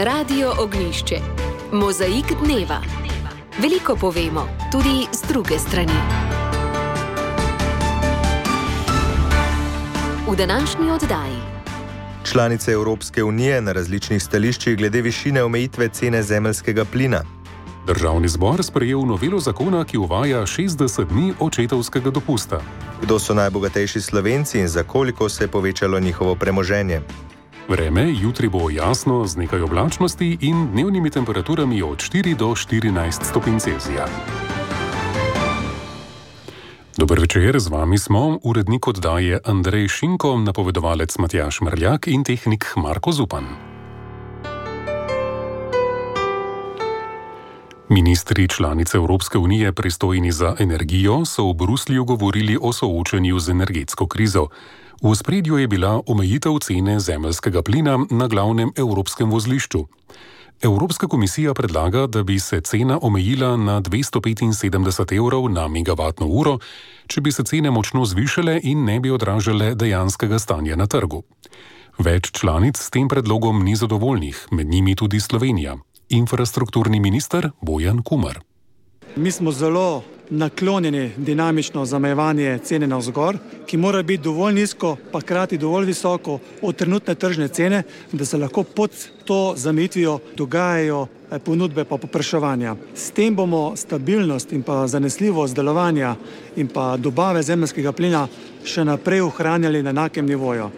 Radio Ognjišče. Mozaik dneva. Veliko povemo, tudi z druge strani. V današnji oddaji. Članice Evropske unije na različnih stališčih glede višine omejitve cene zemeljskega plina. Državni zbor sprejel novelo zakona, ki uvaja 60 dni očetovskega dopusta. Kdo so najbogatejši Slovenci in za koliko se je povečalo njihovo premoženje? Vreme jutri bo jasno z nekaj oblačnosti in dnevnimi temperaturami od 4 do 14 stopinj Celzija. Dober večer, z vami smo, urednik oddaje Andrej Šinko, napovedovalec Matjaž Mrljak in tehnik Marko Zupan. Ministri članice Evropske unije pristojni za energijo so v Bruslju govorili o soočenju z energetsko krizo. V ospredju je bila omejitev cene zemeljskega plina na glavnem evropskem vozlišču. Evropska komisija predlaga, da bi se cena omejila na 275 evrov na megavatno uro, če bi se cene močno zvišale in ne bi odražale dejanskega stanja na trgu. Več članic s tem predlogom ni zadovoljnih, med njimi tudi Slovenija. Infrastrukturni minister Bojan Kumer. Mi smo zelo naklonjeni dinamično zamejevanje cene navzgor, ki mora biti dovolj nizko, pa hkrati dovolj visoko od trenutne tržne cene, da se lahko pod to zamejitvijo dogajajo ponudbe pa povpraševanja. S tem bomo stabilnost in pa zanesljivost delovanja in pa dobave zemeljskega plina še naprej ohranjali na enakem nivoju.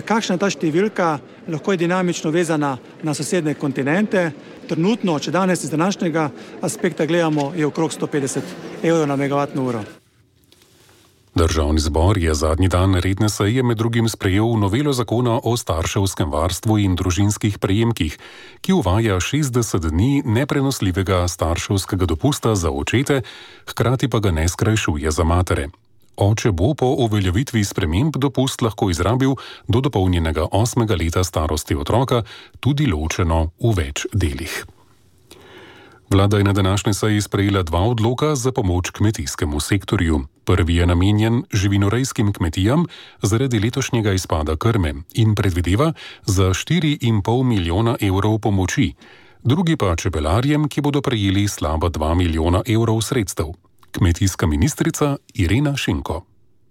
Kakšna je ta številka, lahko je dinamično vezana na sosednje kontinente. Trenutno, če danes iz današnjega aspekta gledamo, je okrog 150 evrov na megavatno uro. Državni zbor je zadnji dan redne seje med drugim sprejel novelo zakona o starševskem varstvu in družinskih prejemkih, ki uvaja 60 dni neprenosljivega starševskega dopusta za očete, hkrati pa ga ne skrajšuje za matere. Oče bo po uveljavitvi sprememb dopust lahko izrabil do dopolnjenega 8. leta starosti otroka, tudi ločeno v več delih. Vlada je na današnji seji sprejela 2 odloka za pomoč kmetijskemu sektorju. Prvi je namenjen živinorejskim kmetijam zaradi letošnjega izpada krme in predvideva za 4,5 milijona evrov pomoči. Drugi pa čebelarjem, ki bodo prejeli slaba 2 milijona evrov sredstev. Kmetijska ministrica Irena Šinko.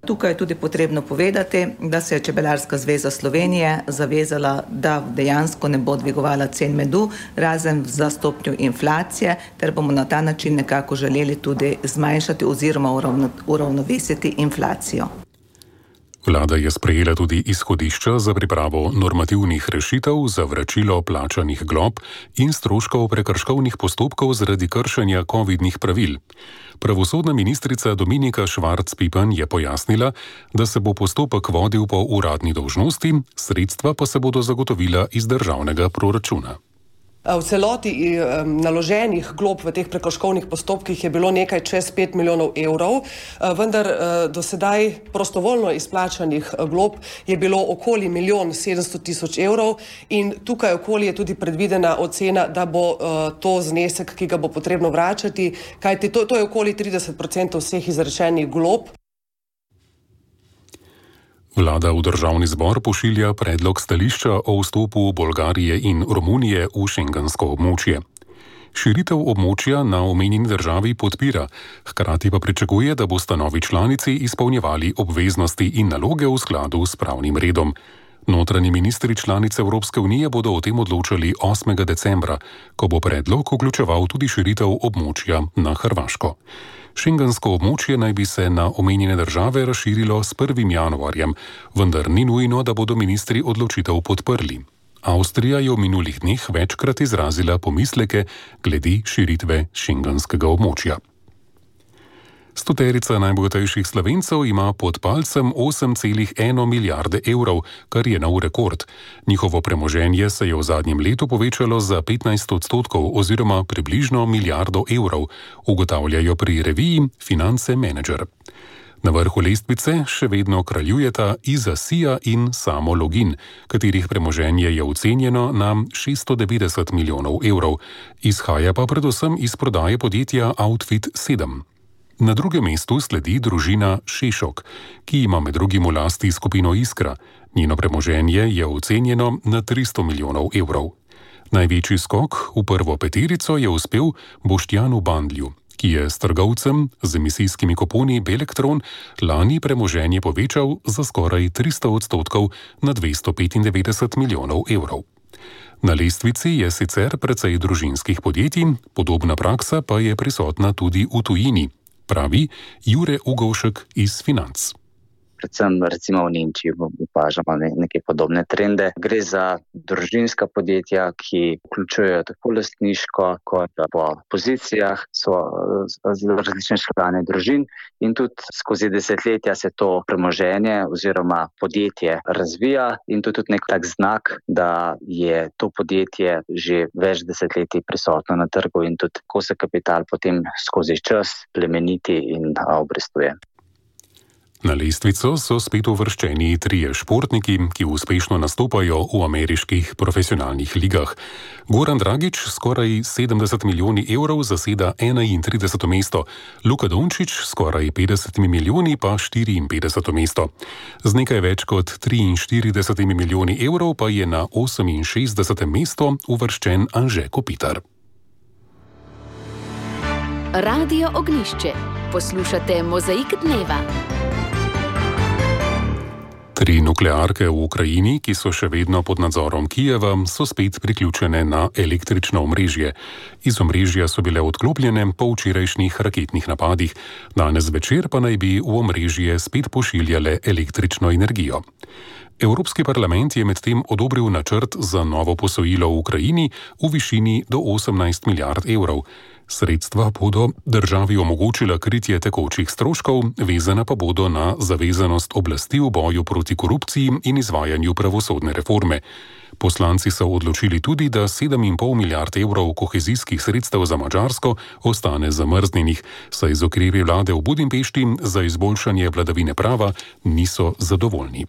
Tukaj je tudi potrebno povedati, da se je Čebelarska zveza Slovenije zavezala, da dejansko ne bo dvigovala cen medu, razen za stopnjo inflacije, ter bomo na ta način nekako želeli tudi zmanjšati oziroma uravnovesiti inflacijo. Vlada je sprejela tudi izhodišča za pripravo normativnih rešitev za vračilo plačanih glob in stroškov prekrškovnih postopkov zaradi kršenja covidnih pravil. Pravosodna ministrica Dominika Švarc-Pipan je pojasnila, da se bo postopek vodil po uradni dolžnosti, sredstva pa se bodo zagotovila iz državnega proračuna. V celoti naloženih glob v teh prekrškovnih postopkih je bilo nekaj čez 5 milijonov evrov, vendar do sedaj prostovoljno izplačanih glob je bilo okoli 1.700.000 evrov in tukaj okoli je tudi predvidena ocena, da bo to znesek, ki ga bo potrebno vračati, kajti to je okoli 30% vseh izrečenih glob. Vlada v državni zbor pošilja predlog stališča o vstopu Bolgarije in Romunije v šengensko območje. Širitev območja na omenjeni državi podpira, hkrati pa pričakuje, da bosta novi članici izpolnjevali obveznosti in naloge v skladu s pravnim redom. Notranji ministri članice Evropske unije bodo o tem odločali 8. decembra, ko bo predlog vključeval tudi širitev območja na Hrvaško. Šengensko območje naj bi se na omenjene države razširilo s 1. januarjem, vendar ni nujno, da bodo ministri odločitev podprli. Avstrija je v minulih dneh večkrat izrazila pomisleke glede širitve šengenskega območja. 100 najbogatejših Slovencev ima pod palcem 8,1 milijarde evrov, kar je nov rekord. Njihovo premoženje se je v zadnjem letu povečalo za 15% oziroma približno milijardo evrov, ugotavljajo pri reviji Finance Manager. Na vrhu lestvice še vedno kraljujeta Iza Sija in Samo Login, katerih premoženje je ocenjeno na 690 milijonov evrov, izhaja pa predvsem iz prodaje podjetja Outfit 7. Na drugem mestu sledi družina Šešok, ki ima med drugim v lasti skupino Iskra. Njeno premoženje je ocenjeno na 300 milijonov evrov. Največji skok v prvo peterico je uspel Boštjanu Bandlju, ki je s trgovcem z emisijskimi kuponi Belektron lani premoženje povečal za skoraj 300% na 295 milijonov evrov. Na lestvici je sicer precej družinskih podjetij, podobna praksa pa je prisotna tudi v tujini, pravi Jure Ugovšek iz Financ. Predvsem recimo v Nemčiji opažamo neke podobne trende. Gre za družinska podjetja, ki vključujejo tako lastniško kot po pozicijah, so različne člane družin in tudi skozi desetletja se to premoženje oziroma podjetje razvija in to je tudi nek tak znak, da je to podjetje že več desetletij prisotno na trgu in tudi ko se kapital potem skozi čas plemeniti in obrestuje. Na lestvico so spet uvrščeni 3 športniki, ki uspešno nastopajo v ameriških profesionalnih ligah. Goran Dragić skoraj 70 milijoni evrov zaseda 31. mesto, Luka Dončić skoraj 50 milijoni pa 54. mesto. Z nekaj več kot 43 milijoni evrov pa je na 68. mesto uvrščen Anže Kopitar. Radio Ognjišče. Poslušate Mozaik dneva. 3 nuklearke v Ukrajini, ki so še vedno pod nadzorom Kijeva, so spet priključene na električno omrežje. Iz omrežja so bile odklopljene po včerajšnjih raketnih napadih. Danes večer pa naj bi v omrežje spet pošiljale električno energijo. Evropski parlament je medtem odobril načrt za novo posojilo v Ukrajini v višini do 18 milijard evrov. Sredstva bodo državi omogočila kritje tekočih stroškov, vezana pa bodo na zavezanost oblasti v boju proti korupciji in izvajanju pravosodne reforme. Poslanci so odločili tudi, da 7,5 milijard evrov kohezijskih sredstev za Madžarsko ostane zamrznjenih, saj z ukrepi vlade v Budimpešti za izboljšanje vladavine prava niso zadovoljni.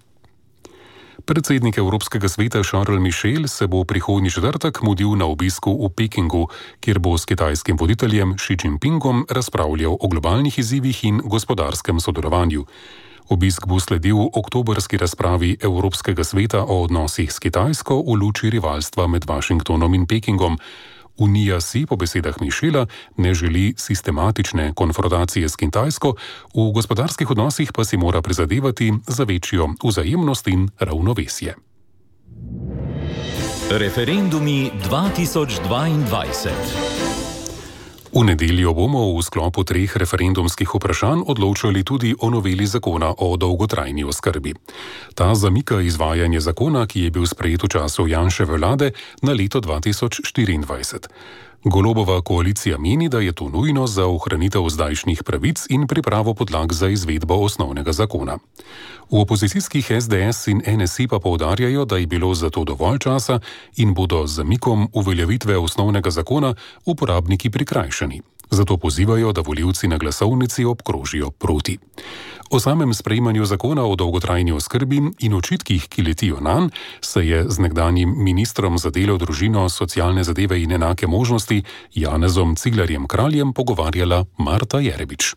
Predsednik Evropskega sveta Charles Michel se bo prihodnji četrtek mudil na obisku v Pekingu, kjer bo s kitajskim voditeljem Xi Jinpingom razpravljal o globalnih izzivih in gospodarskem sodelovanju. Obisk bo sledil oktobrski razpravi Evropskega sveta o odnosih s Kitajsko v luči rivalstva med Washingtonom in Pekingom. Unija si, po besedah Michela, ne želi sistematične konfrontacije s Kitajsko, v gospodarskih odnosih pa si mora prizadevati za večjo vzajemnost in ravnovesje. Referendumi 2022. V nedeljo bomo v sklopu 3 referendumskih vprašanj odločali tudi o noveli zakona o dolgotrajni oskrbi. Ta zamika izvajanje zakona, ki je bil sprejet v času Janševe vlade, na leto 2024. Golobova koalicija meni, da je to nujno za ohranitev zdajšnjih pravic in pripravo podlag za izvedbo osnovnega zakona. V opozicijskih SDS in NSI pa poudarjajo, da je bilo za to dovolj časa in bodo z zamikom uveljavitve osnovnega zakona uporabniki prikrajšani. Zato pozivajo, da volivci na glasovnici obkrožijo proti. O samem sprejemanju zakona o dolgotrajni oskrbi in očitkih, ki letijo nanj, se je z nekdanjim ministrom za delo, družino, socialne zadeve in enake možnosti Janezom Ciglerjem Kraljem pogovarjala Marta Jerebič.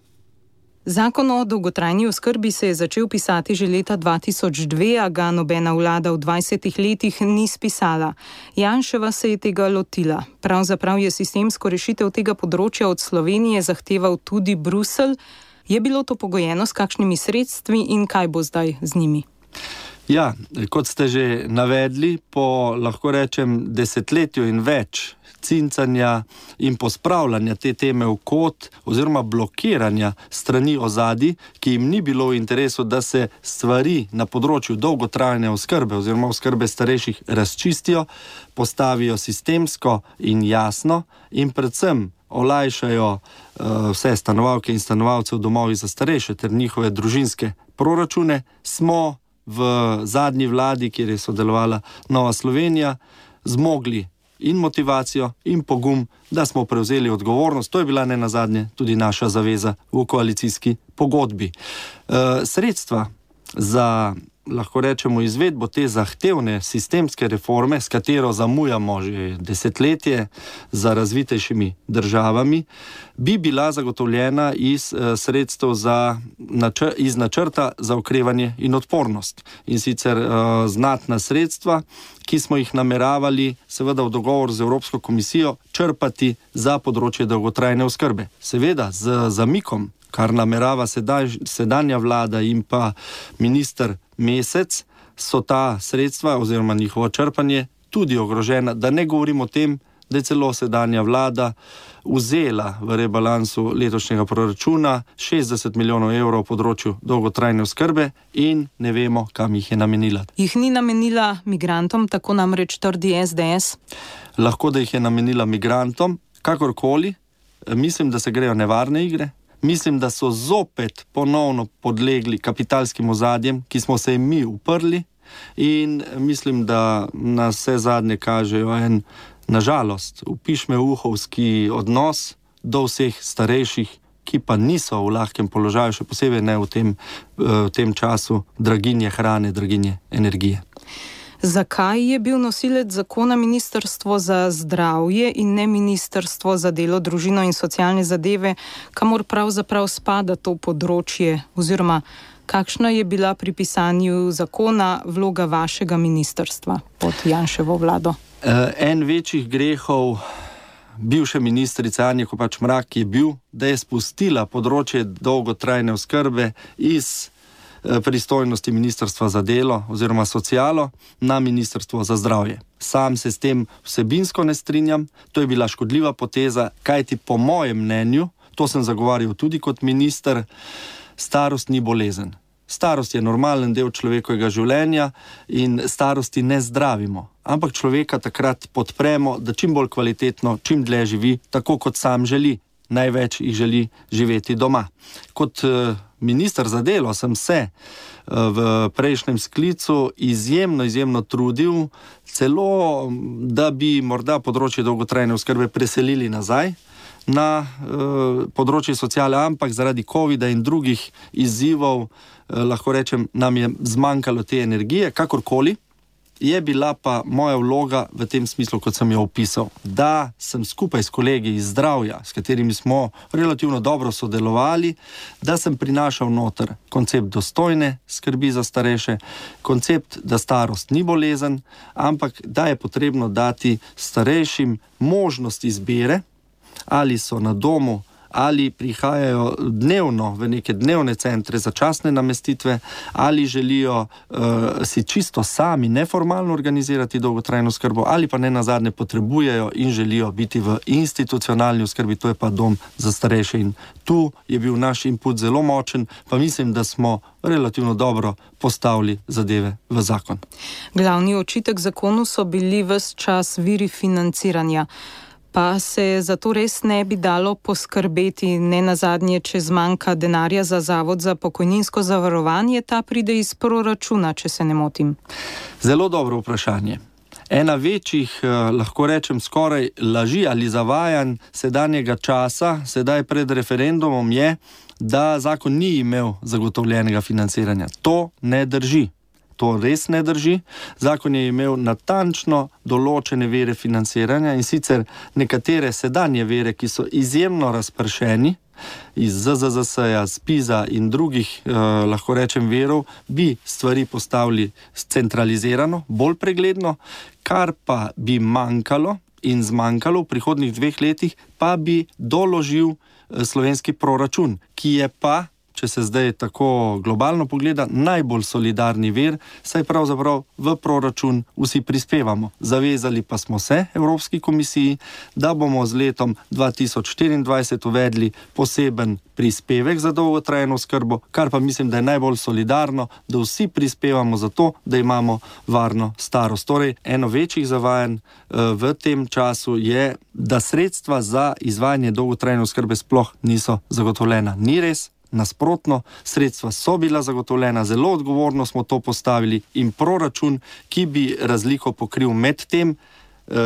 Zakon o dolgotrajni oskrbi se je začel pisati že leta 2002, a ga nobena vlada v 20 letih ni spisala. Janševa se je tega lotila. Pravzaprav je sistemsko rešitev tega področja od Slovenije zahteval tudi Bruselj. Je bilo to pogojeno s kakšnimi sredstvi in kaj bo zdaj z njimi? Ja, kot ste že navedli, po, lahko rečem, desetletju in več cincanja in pospravljanja te teme v kot oziroma blokiranja strani ozadij, ki jim ni bilo v interesu, da se stvari na področju dolgotrajne oskrbe oziroma oskrbe starejših razčistijo, postavijo sistemsko in jasno in predvsem olajšajo vse stanovalke in stanovalce v domovih za starejše ter njihove družinske proračune, smo v zadnji vladi, kjer je sodelovala Nova Slovenija, zmogli in motivacijo in pogum, da smo prevzeli odgovornost. To je bila nenazadnje tudi naša zaveza v koalicijski pogodbi. Sredstva za lahko rečemo, izvedbo te zahtevne sistemske reforme, s katero zamujamo že desetletje za razvitejšimi državami, bi bila zagotovljena iz sredstev iz načrta za okrevanje in odpornost. In sicer znatna sredstva, ki smo jih nameravali seveda v dogovor z Evropsko komisijo črpati za področje dolgotrajne oskrbe. Seveda z zamikom, kar namerava sedanja vlada in pa minister Mesec, so ta sredstva oziroma njihovo črpanje tudi ogrožena. Da ne govorim o tem, da je celo sedanja vlada vzela v rebalansu letošnjega proračuna 60 milijonov evrov v področju dolgotrajne oskrbe in ne vemo, kam jih je namenila. Jih ni namenila migrantom, tako namreč trdi SDS? Lahko, da jih je namenila migrantom, kakorkoli. Mislim, da se grejo nevarne igre. Mislim, da so zopet ponovno podlegli kapitalskim ozadjem, ki smo se jim mi uprli, in mislim, da na vse zadnje kažejo en, nažalost, upišme-uhovski odnos do vseh starejših, ki pa niso v lahkem položaju, še posebej ne v tem času draginje hrane, draginje energije. Zakaj je bil nosilec zakona Ministrstvo za zdravje in ne Ministrstvo za delo, družino in socialne zadeve, kamor pravzaprav spada to področje, oziroma kakšna je bila pri pisanju zakona vloga vašega ministrstva pod Janševo vlado? En večjih grehov bivše ministrice Anje Kopač Mrak je bil, da je spustila področje dolgotrajne oskrbe iz pristojnosti Ministrstva za delo oziroma socialo na Ministrstvo za zdravje. Sam se s tem vsebinsko ne strinjam, to je bila škodljiva poteza, kajti po mojem mnenju, to sem zagovarjal tudi kot minister, starost ni bolezen. Starost je normalen del človekovega življenja in starosti ne zdravimo, ampak človeka takrat podpremo, da čim bolj kvalitetno, čim dlje živi, tako kot sam želi. Največ jih želi živeti doma. Kot minister za delo sem se v prejšnjem sklicu izjemno trudil, celo da bi morda področje dolgotrajne oskrbe preselili nazaj na področje sociale, ampak zaradi covida in drugih izzivov, lahko rečem, nam je zmanjkalo te energije, kakorkoli. Je bila pa moja vloga v tem smislu, kot sem jo opisal, da sem skupaj s kolegi iz zdravja, s katerimi smo relativno dobro sodelovali, da sem prinašal noter koncept dostojne skrbi za starejše, koncept, da starost ni bolezen, ampak da je potrebno dati starejšim možnost izbire, ali so na domu, ali prihajajo dnevno v neke dnevne centre za časne namestitve, ali želijo si čisto sami neformalno organizirati dolgotrajno oskrbo, ali pa ne nazadnje potrebujejo in želijo biti v institucionalni oskrbi, to je pa dom za starejše. In tu je bil naš input zelo močen, pa mislim, da smo relativno dobro postavili zadeve v zakon. Glavni očitek zakonu so bili ves čas viri financiranja. Pa se zato res ne bi dalo poskrbeti, ne nazadnje, če zmanjka denarja za Zavod za pokojninsko zavarovanje, ta pride iz proračuna, če se ne motim. Zelo dobro vprašanje. Ena večjih, lahko rečem, skoraj laži ali zavajanj sedanjega časa, sedaj pred referendumom, je, da zakon ni imel zagotovljenega financiranja. To ne drži. To res ne drži. Zakon je imel natančno določene vire financiranja in sicer nekatere sedanje vire, ki so izjemno razpršeni iz ZZZS-ja, ZPIZ-a in drugih, lahko rečem, virov, bi stvari postavili centralizirano, bolj pregledno, kar pa bi manjkalo in zmanjkalo v prihodnjih 2 letih, pa bi doložil slovenski proračun, ki je pa, če se zdaj tako globalno pogleda, najbolj solidarni vir, saj pravzaprav v proračun vsi prispevamo. Zavezali pa smo se Evropski komisiji, da bomo z letom 2024 uvedli poseben prispevek za dolgotrajno oskrbo, kar pa mislim, da je najbolj solidarno, da vsi prispevamo za to, da imamo varno starost. Torej, eno večjih zavajanj v tem času je, da sredstva za izvajanje dolgotrajne oskrbe sploh niso zagotovljena. Ni res. Nasprotno, sredstva so bila zagotovljena, zelo odgovorno smo to postavili in proračun, ki bi razliko pokril med tem,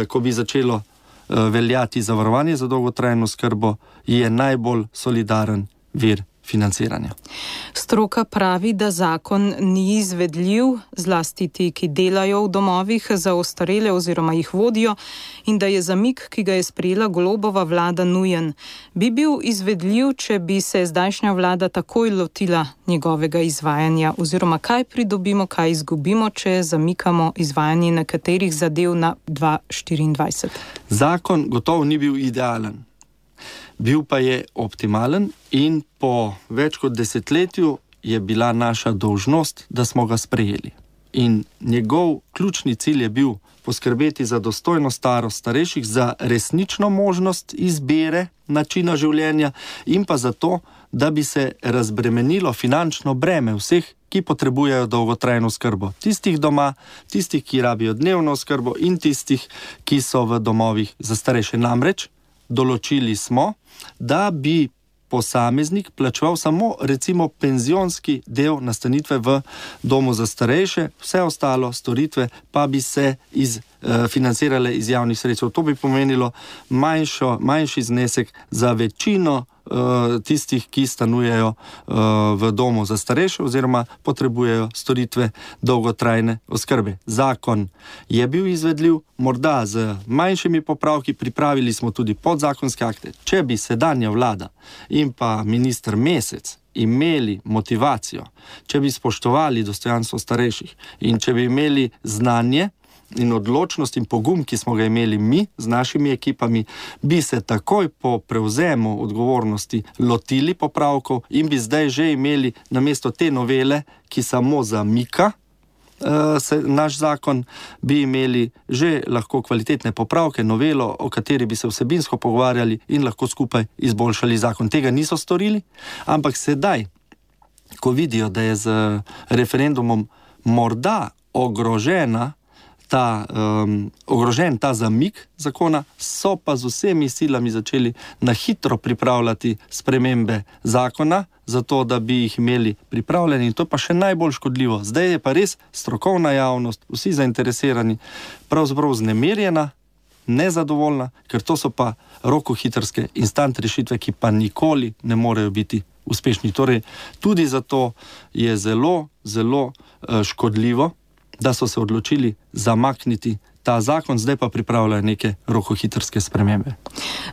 ko bi začelo veljati zavarovanje za dolgotrajno oskrbo, je najbolj solidaren vir financiranja. Stroka pravi, da zakon ni izvedljiv, zlasti ti, ki delajo v domovih za ostarele oziroma jih vodijo, in da je zamik, ki ga je sprejela Golobova vlada, nujen. Bi bil izvedljiv, če bi se zdajšnja vlada takoj lotila njegovega izvajanja, oziroma kaj pridobimo, kaj izgubimo, če zamikamo izvajanje nekaterih zadev na 2024? Zakon gotovo ni bil idealen. Bil pa je optimalen in po več kot desetletju je bila naša dolžnost, da smo ga sprejeli. In njegov ključni cilj je bil poskrbeti za dostojno starost starejših, za resnično možnost izbire načina življenja in pa za to, da bi se razbremenilo finančno breme vseh, ki potrebujejo dolgotrajno oskrbo. Tistih doma, tistih, ki rabijo dnevno oskrbo in tistih, ki so v domovih za starejše. Namreč določili smo, da bi posameznik plačeval samo recimo penzionski del nastanitve v domu za starejše, vse ostalo storitve pa bi se financirale iz javnih sredstev. To bi pomenilo manjši znesek za večino tistih, ki stanujejo v domu za starejše oziroma potrebujejo storitve dolgotrajne oskrbe. Zakon je bil izvedljiv, morda z manjšimi popravki, pripravili smo tudi podzakonske akte. Če bi sedanja vlada in pa minister Mesec imeli motivacijo, če bi spoštovali dostojanstvo starejših in če bi imeli znanje in odločnost in pogum, ki smo ga imeli mi z našimi ekipami, bi se takoj po prevzemu odgovornosti lotili popravkov in bi zdaj že imeli namesto te novele, ki samo zamika naš zakon, bi imeli že lahko kvalitetne popravke, novelo, o kateri bi se vsebinsko pogovarjali in lahko skupaj izboljšali zakon. Tega niso storili, ampak sedaj, ko vidijo, da je z referendumom morda ogrožen ta zamik zakona, so pa z vsemi silami začeli na hitro pripravljati spremembe zakona, zato da bi jih imeli pripravljeni, in to pa še najbolj škodljivo. Zdaj je pa res strokovna javnost, vsi zainteresirani, pravzaprav znemirjena, nezadovoljna, ker to so pa rokohitrske instant rešitve, ki pa nikoli ne morejo biti uspešni. Torej, tudi zato je zelo, zelo škodljivo, da so se odločili zamakniti ta zakon, zdaj pa pripravljajo neke rokohitrske spremembe.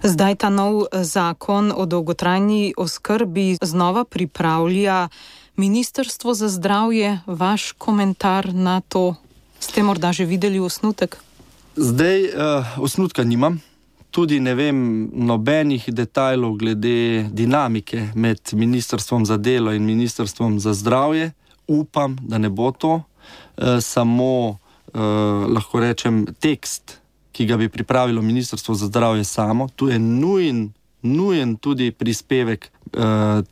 Zdaj ta nov zakon o dolgotrajni oskrbi znova pripravlja Ministrstvo za zdravje. Vaš komentar na to? Ste morda že videli osnutek? Zdaj osnutka nimam. Tudi ne vem nobenih detajlov glede dinamike med Ministrstvom za delo in Ministrstvom za zdravje. Upam, da ne bo to. Samo lahko rečem tekst, ki ga bi pripravilo Ministrstvo za zdravje samo. Tu je nujen tudi prispevek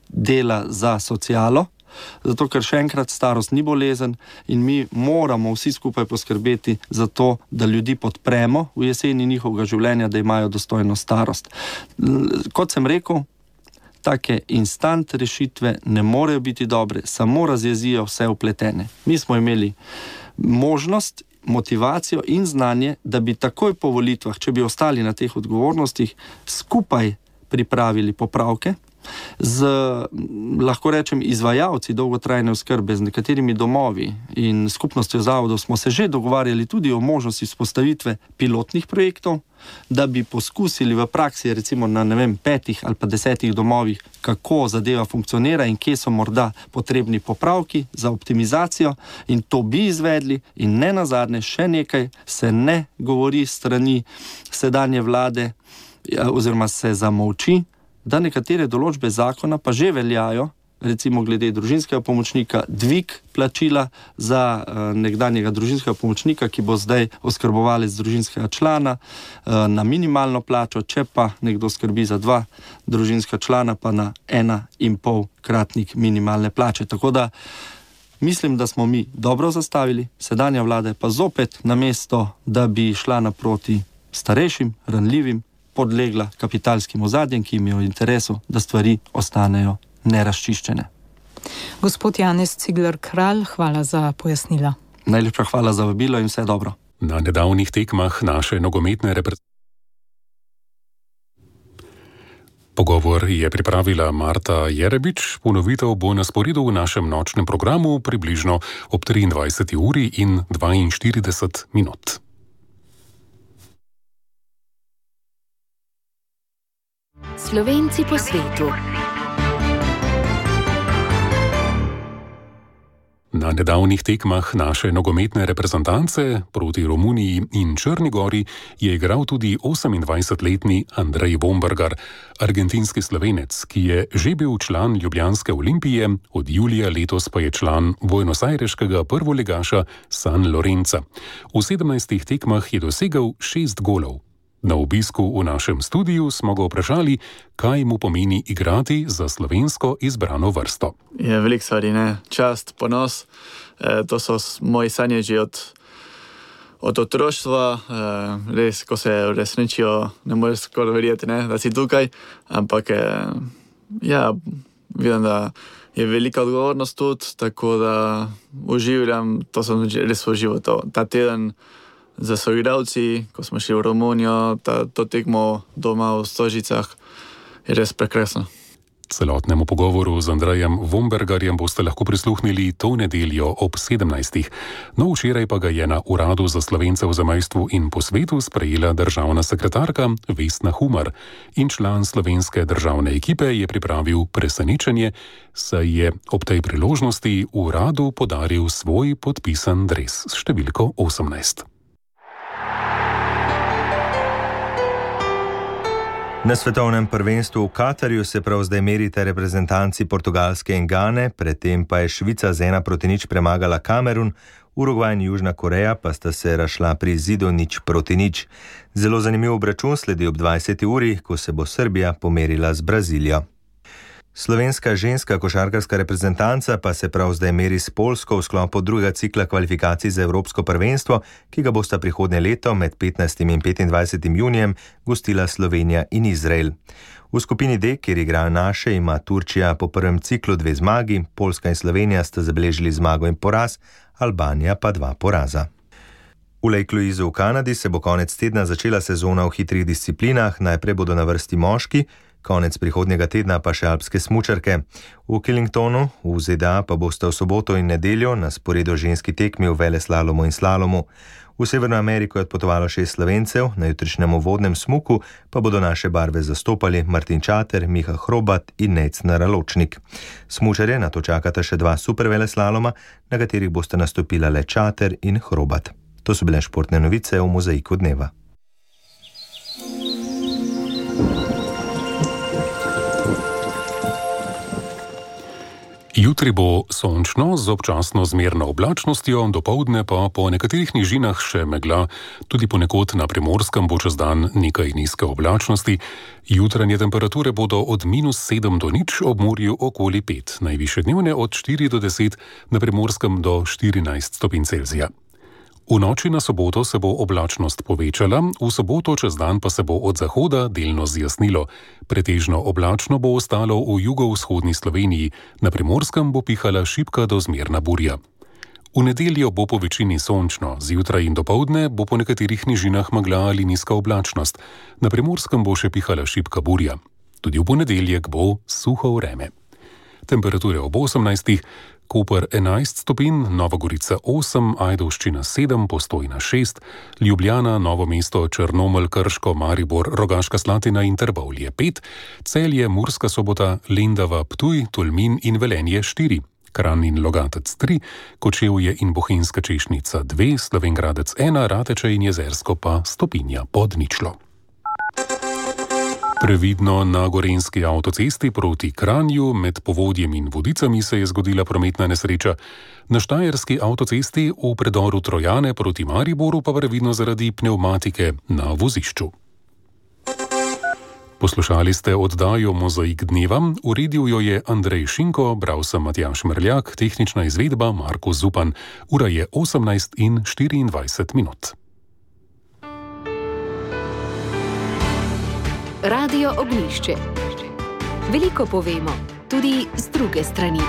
dela za socialo, zato ker še enkrat starost ni bolezen in mi moramo vsi skupaj poskrbeti za to, da ljudi podpremo v jeseni njihovega življenja, da imajo dostojno starost. Kot sem rekel, take instant rešitve ne morejo biti dobre, samo razjezijo vse vpletene. Mi smo imeli možnost, motivacijo in znanje, da bi takoj po volitvah, če bi ostali na teh odgovornostih, skupaj pripravili popravke z, lahko rečem, izvajalci dolgotrajne oskrbe, z nekaterimi domovi in skupnostjo zavodov smo se že dogovarjali tudi o možnosti vzpostavitve pilotnih projektov, da bi poskusili v praksi, recimo na 5 ali pa 10 domovih, kako zadeva funkcionira in kje so morda potrebni popravki za optimizacijo, in to bi izvedli. In ne nazadnje, še nekaj se ne govori strani sedanje vlade oziroma se zamolči, da nekatere določbe zakona pa že veljajo, recimo glede družinskega pomočnika, dvig plačila za nekdanjega družinskega pomočnika, ki bo zdaj oskrbovalec družinskega člana, na minimalno plačo, če pa nekdo skrbi za 2 družinska člana, pa na 1,5-kratnik minimalne plače. Tako da mislim, da smo mi dobro zastavili, sedanja vlada pa zopet namesto, da bi šla naproti starejšim, ranljivim, podlegla kapitalskim ozadjem, ki jim je v interesu, da stvari ostanejo nerazčiščene. Gospod Janez Cigler Kralj, hvala za pojasnila. Najlepša hvala za vabilo in vse dobro. Na nedavnih tekmah naše nogometne reprezentacije Pogovor je pripravila Marta Jerebič, ponovitev bo na sporedu v našem nočnem programu približno ob 23. uri in 42 minut. Slovenci po svetu. Na nedavnih tekmah naše nogometne reprezentance proti Romuniji in Črni Gori je igral tudi 28-letni Andrej Vombergar, argentinski Slovenec, ki je že bil član ljubljanske Olimpije, od julija letos pa je član buenosajreškega prvoligaša San Lorenza. V 17 tekmah je dosegel 6 golov. Na obisku v našem studiu smo ga vprašali, kaj mu pomeni igrati za slovensko izbrano vrsto. Je veliko stvari, ne? Čast, ponos. To so moji sanje že od otroštva. Res, ko se uresničijo, ne moreš skoraj verjeti, ne? Da si tukaj. Ampak ja, vidim, da je velika odgovornost tudi, tako da uživam, to sem res užival, ta teden za soigralci, ko smo šli v Romunijo, to tekmo doma v Stožicah, je res prekrasno. Celotnemu pogovoru z Andrejem Vombergarjem boste lahko prisluhnili to nedeljo ob 17. No, včeraj pa ga je na Uradu za Slovence v zamejstvu in po svetu sprejela državna sekretarka Vesna Humar in član slovenske državne ekipe je pripravil presenečenje, saj je ob tej priložnosti uradu podaril svoj podpisan dres s številko 18. Na svetovnem prvenstvu v Katarju se prav zdaj merita reprezentanci Portugalske in Gane, predtem pa je Švica z 1-0 premagala Kamerun, Urugvaj in Južna Koreja pa sta se razšla pri izidu 0-0. Zelo zanimiv obračun sledi ob 20. uri, ko se bo Srbija pomerila z Brazilijo. Slovenska ženska košarkarska reprezentanca pa se prav zdaj meri s Poljsko v sklopu drugega cikla kvalifikacij za Evropsko prvenstvo, ki ga bosta prihodnje leto med 15. in 25. junijem gostila Slovenija in Izrael. V skupini D, kjer igrajo naše, ima Turčija po prvem ciklu 2 zmagi, Poljska in Slovenija sta zabeležili zmago in poraz, Albanija pa 2 poraza. V Lake Louisu v Kanadi se bo konec tedna začela sezona v hitrih disciplinah, najprej bodo na vrsti moški, konec prihodnjega tedna pa še alpske smučarke. V Killingtonu v ZDA pa boste v soboto in nedeljo na sporedu ženski tekmi v veleslalomu in slalomu. V Severno Ameriko je odpotovalo 6 Slovencev, na jutrišnjem uvodnem smuku pa bodo naše barve zastopali Martin Čater, Miha Hrobat in Nejcner Raločnik. Smučarje nato čakata še 2 superveleslaloma, na katerih boste nastopila le Čater in Hrobat. To so bile športne novice v Mozaiku dneva. Jutri bo sončno z občasno zmerno oblačnostjo, dopoldne pa po nekaterih nižinah še megla, tudi ponekod na Primorskem bo čez dan nekaj nizke oblačnosti. Jutranje temperature bodo od -7 do 0, ob morju okoli 5, najvišje dnevne od 4 do 10, na Primorskem do 14 stopinj Celzija. V noči na soboto se bo oblačnost povečala, v soboto čez dan pa se bo od zahoda delno zjasnilo. Pretežno oblačno bo ostalo v jugovzhodni Sloveniji, na Primorskem bo pihala šibka do zmerna burja. V nedeljo bo po večini sončno, zjutraj in dopoldne bo po nekaterih nižinah megla ali nizka oblačnost, na Primorskem bo še pihala šibka burja. Tudi v ponedeljek bo suho vreme. Temperature ob 18. Koper 11 stopinj, Nova Gorica 8, Ajdovščina 7, Postojna 6, Ljubljana, Novo mesto, Črnomelj, Krško, Maribor, Rogaška Slatina in Trbovlje 5, Celje, Murska Sobota, Lendava, Ptuj, Tolmin in Velenje 4, Kranj in Logatec 3, Kočevje in Bohinjska Češnica 2, Slovenj Gradec 1, Rateče in Jezersko pa stopinja pod ničlo. Previdno na gorenjski avtocesti proti Kranju med Povodjem in Vodicami se je zgodila prometna nesreča. Na štajerski avtocesti v predoru Trojane proti Mariboru pa previdno zaradi pnevmatike na vozišču. Poslušali ste oddajo Mozaik dneva, uredil jo je Andrej Šinko, bral sem Matjaž Mrljak, tehnična izvedba Marko Zupan. Ura je 18:24. Radio Ognjišče. Veliko povemo, tudi z druge strani.